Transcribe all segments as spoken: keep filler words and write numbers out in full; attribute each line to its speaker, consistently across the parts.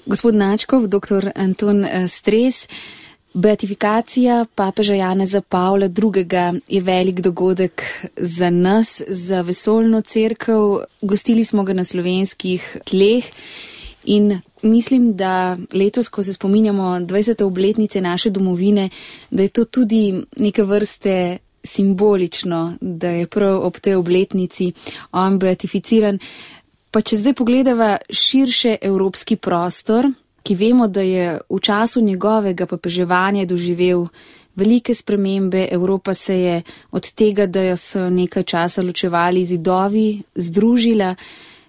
Speaker 1: Gospod Načkov, doktor Anton Stres, beatifikacija papeža Janeza Pavla drugega. je velik dogodek za nas, za vesoljno cerkev. Gostili smo ga na slovenskih tleh in mislim, da letos, ko se spominjamo dvajsete obletnice naše domovine, da je to tudi neke vrste simbolično, da je prav ob tej obletnici on beatificiran. Pa če zdaj pogledava širše evropski prostor, ki vemo, da je v času njegovega papeževanja doživel velike spremembe, Evropa se je od tega, da so nekaj časa ločevali zidovi, združila.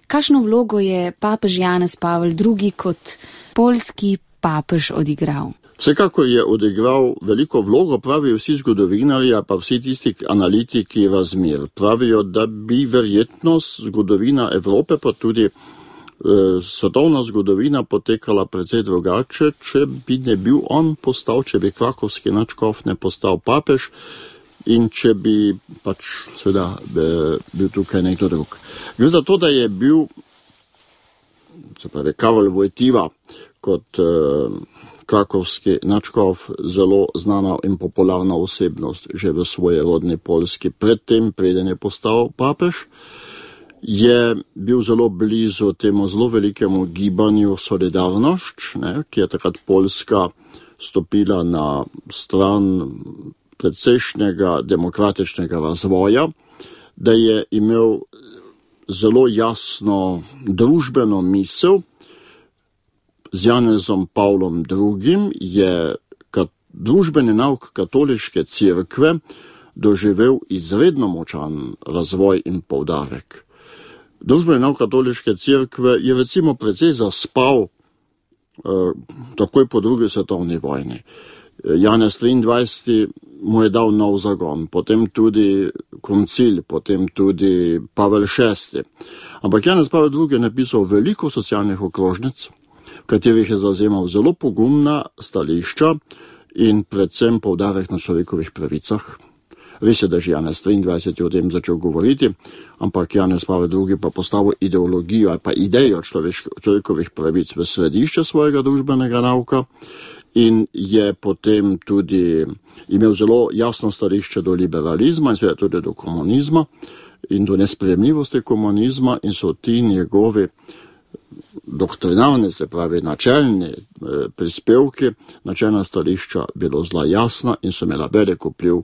Speaker 1: Kakšno vlogo je papež Janez Pavel drugi kot poljski papež odigral?
Speaker 2: Vsekakor je odigral veliko vlogo, pravijo vsi zgodovinarji, pa vsi tisti analitiki razmer. Pravijo, da bi verjetno zgodovina Evrope, pa tudi eh, svetovna zgodovina potekala precej drugače, če bi ne bil on postal, če bi krakovski nadškof ne postal papež in če bi pač seveda bil tukaj nekdo drug. Gre za to, da je bil, se pravi, Karol Wojtyła kot eh, krakovski nadškof zelo znana in popularna osebnost že v svoji rodni Poljski. Predtem, preden je postal papež, je bil zelo blizu temu zelo velikemu gibanju Solidarność, ne, ki je takrat Poljska stopila na stran predsejšnjega demokratičnega razvoja, da je imel zelo jasno družbeno misel. Z Janezom Pavlom drugim je kat, družbeni nauk katoliške cerkve doživel izredno močan razvoj in poudarek. Družbeni nauk katoliške cerkve je recimo precej zaspal eh, takoj po drugi svetovni vojni. Janez triindvajseti mu je dal nov zagon, potem tudi koncil, potem tudi Pavel šesti. Ampak Janez Pavel drugi je napisal veliko socialnih okrožnic, v katerih je zavzemal zelo pogumna stališča in predvsem poudarek na človekovih pravicah. Res je, da že Janez triindvajseti o tem začel govoriti, ampak Janez Pavel drugi pa postavil ideologijo ali pa idejo človekovih pravic v središče svojega družbenega nauka in je potem tudi imel zelo jasno stališče do liberalizma in seveda tudi do komunizma in do nesprejemljivosti komunizma in so ti njegovi doktrinalne, se pravi načelni eh, prispevki, načelna stališča bilo zelo jasna in so imela velik vpliv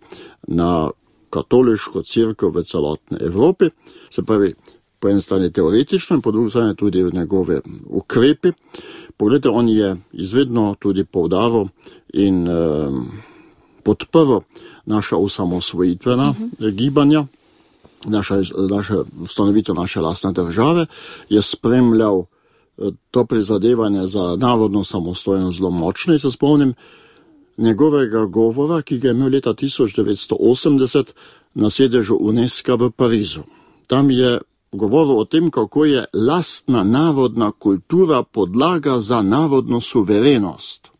Speaker 2: na katoliško cerkev v celotni Evropi. Se pravi, po eni strani teoretično in po drugi strani tudi v njegove ukrepi. Poglejte, on je izvedno tudi poudaril in eh, podprl naša osamosvojitvena uh-huh. gibanja, naša, naša ustanovitev naše lastne države, je spremljal to prizadevanje za narodno samostojnost zelo močno. In se spomnim njegovega govora, ki ga je imel leta tisoč devetsto osemdeset na sedežu UNESCO v Parizu. Tam je govoril o tem, kako je lastna narodna kultura podlaga za narodno suverenost.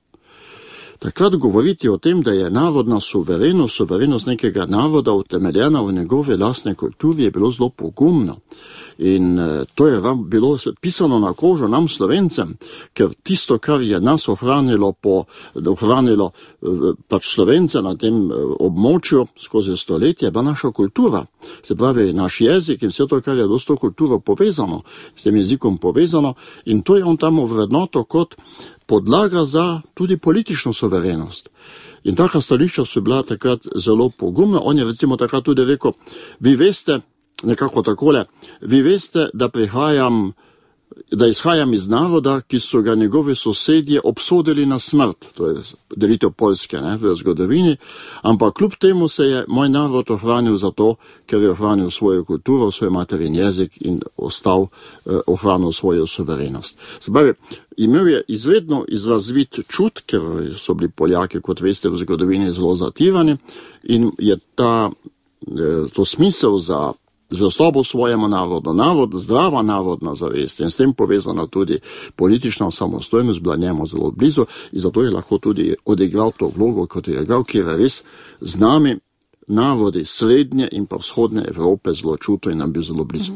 Speaker 2: Takrat govoriti o tem, da je narodna suverenost, suverenost nekega naroda utemeljena v njegove lastne kulturi, je bilo zelo pogumno. In to je bilo pisano na kožo nam Slovencem, ker tisto, kar je nas ohranilo, po, ohranilo pač Slovence na tem območju skozi stoletje, je bila naša kultura. Se pravi, naš jezik in vse to, kar je do s to kulturo povezano, s tem jezikom povezano, in to je on tam ovrednoto kot podlaga za tudi politično suverenost. In taka stališča so bila takrat zelo pogumna. On je recimo takrat tudi rekel, vi veste, nekako takole, vi veste, da prihajam, da izhajam iz naroda, ki so ga njegovi sosedje obsodili na smrt, to je delitev Poljske, ne, v zgodovini, ampak kljub temu se je moj narod ohranil zato, ker je ohranil svojo kulturo, svoj materin jezik in ostal eh, ohranil svojo suverenost. Se pravi, imel je izredno izrazvit čut, ker so bili Poljaki, kot veste, v zgodovini zelo zatirani in je ta, eh, to smisel za zvestobo svojemu narodu, narod, zdrava narodna zavest in s tem povezana tudi politična samostojnost bila njemu zelo blizu in zato je lahko tudi odigral to vlogo, kot je igral, kjer je res z nami narodi srednje in pa vzhodne Evrope zelo čuto in nam bil zelo blizu.